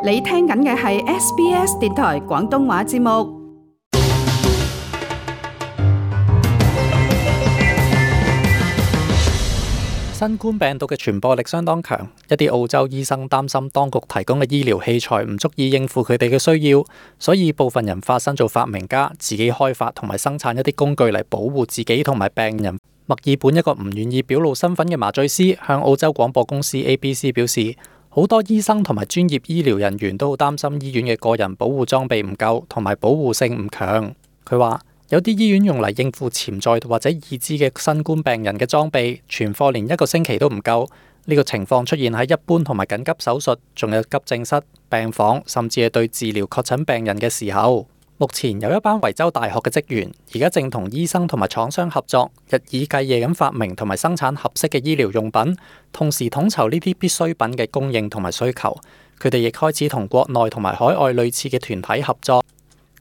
你聽緊嘅係 SBS 電台廣東話節目。新冠病毒嘅傳播力相當強，一啲澳洲醫生擔心當局提供嘅醫療器材唔足以應付佢哋嘅需要，所以部分人化身做發明家，自己開發同埋生產一啲工具嚟保護自己同埋病人。墨爾本一個唔願意表露身份嘅麻醉師向澳洲廣播公司 ABC 表示，好多醫生同埋專業醫療人員都好擔心醫院嘅個人保護裝備唔夠同埋保護性唔強。佢話有啲醫院用嚟應付潛在或者已知嘅新冠病人嘅裝備，存貨連1個星期都唔夠。呢個情況出現喺一般同埋緊急手術，仲有急症室、病房，甚至係對治療確診病人嘅時候。目前有一班維州大學嘅職員，而家正同醫生同埋廠商合作，日以繼夜咁發明同埋生產合適嘅醫療用品，同時統籌呢啲必需品嘅供應同埋需求。佢哋亦開始同國內同埋海外類似嘅團體合作。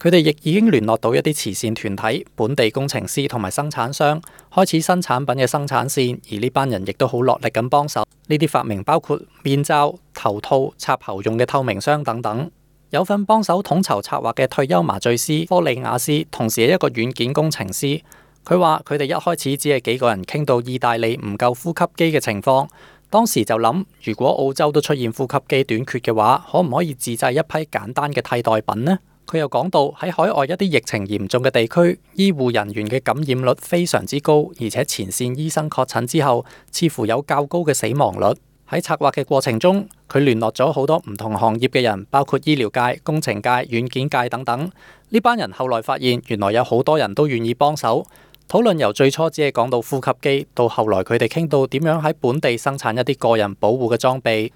佢哋亦已經聯絡到一啲慈善團體、本地工程師同埋生產商，開始新產品嘅生產線。而呢班人亦都好落力咁幫手。呢啲發明包括面罩、頭套、插喉用嘅透明箱等等。有份幫手統籌策劃嘅退休麻醉師科里亞斯，同時係一個軟件工程師。佢話佢哋一開始只係幾個人傾到意大利唔夠呼吸機嘅情況，當時就諗，如果澳洲都出現呼吸機短缺嘅話，可唔可以自製一批簡單嘅替代品呢？佢又講到喺海外一啲疫情嚴重嘅地區，醫護人員嘅感染率非常之高，而且前線醫生確診之後，似乎有較高嘅死亡率。喺策劃嘅過程中，佢聯絡咗好多唔同行業嘅人，包括醫療界、工程界、軟件界等等。呢班人後來發現，原來有好多人都願意幫手。討論由最初只係講到呼吸機，到後來佢哋傾到點樣喺本地生產一啲個人保護嘅裝備。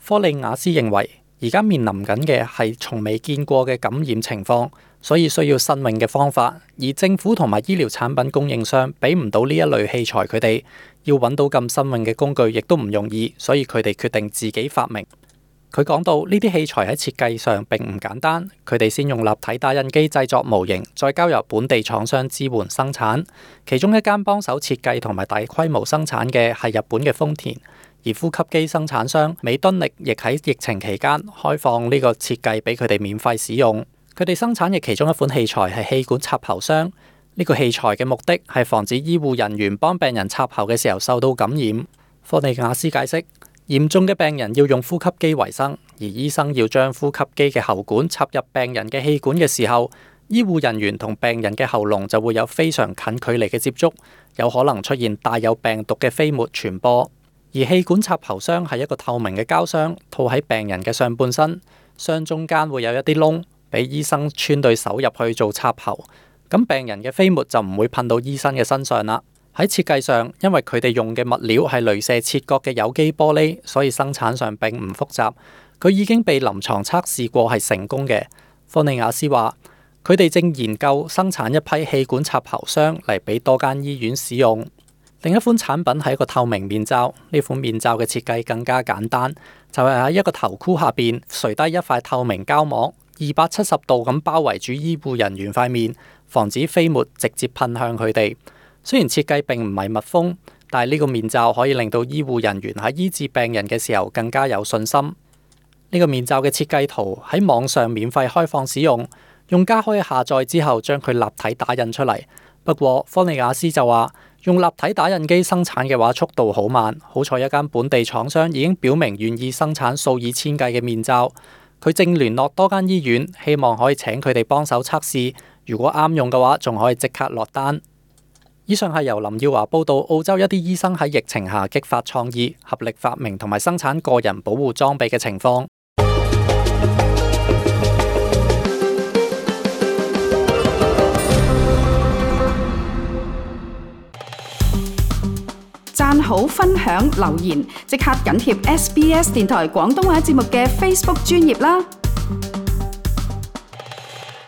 科里亞斯認為，而家面臨緊嘅係從未見過嘅感染情況，所以需要新穎嘅方法。而政府同埋醫療產品供應商俾唔到呢一類器材，佢哋要揾到咁新穎嘅工具，亦都唔容易，所以佢哋決定自己發明。佢講到呢啲器材喺設計上並唔簡單，佢哋先用立體打印機製作模型，再交由本地廠商支援生產。其中一間幫手設計同埋大規模生產嘅係日本嘅豐田，而呼吸機生產商美敦力亦喺疫情期間開放呢個設計俾佢哋免費使用。佢哋生產嘅其中一款器材係氣管插喉箱。呢個器材嘅目的係防止醫護人員幫病人插喉嘅時候受到感染。科里亞斯解釋，嚴重嘅病人要用呼吸機為生，而醫生要將呼吸機嘅喉管插入病人嘅氣管嘅時候，醫護人員同病人嘅喉嚨就會有非常近距離嘅接觸，有可能出現帶有病毒嘅飛沫傳播。而氣管插喉箱係一個透明嘅膠箱，套喺病人嘅上半身，箱中間會有一啲窿，俾醫生穿對手入去做插喉。咁病人嘅飛沫就唔會噴到醫生嘅身上啦。喺設計上，因為佢哋用嘅物料係鐳射切割嘅有機玻璃，所以生產上並唔複雜。佢已經被臨床測試過係成功嘅。科里亞斯話，佢哋正研究生產一批氣管插喉箱嚟俾多間醫院使用。另一款產品係一個透明面罩，呢款面罩嘅設計更加簡單，就係喺一個頭箍下邊垂低一塊透明膠膜，270度咁包圍住醫護人員塊面，防止飛沫直接噴向佢哋。雖然設計並唔係密封，但係呢個面罩可以令到醫護人員喺醫治病人嘅時候更加有信心。呢個面罩嘅設計圖喺網上免費開放使用，用家可以下載之後將佢立體打印出嚟。不過科里亞斯就話，用立體打印機生產嘅話速度好慢，好彩一間本地廠商已經表明願意生產數以千計嘅面罩。佢正聯絡多間醫院，希望可以請佢哋幫手測試，如果啱用嘅話，仲可以即刻落單。以上係由林耀華報道，澳洲一啲醫生喺疫情下激發創意，合力發明同埋生產個人保護裝備嘅情況。讚好、分享、留言，即刻緊貼SBS 電台廣東話節目嘅 Facebook 專頁啦！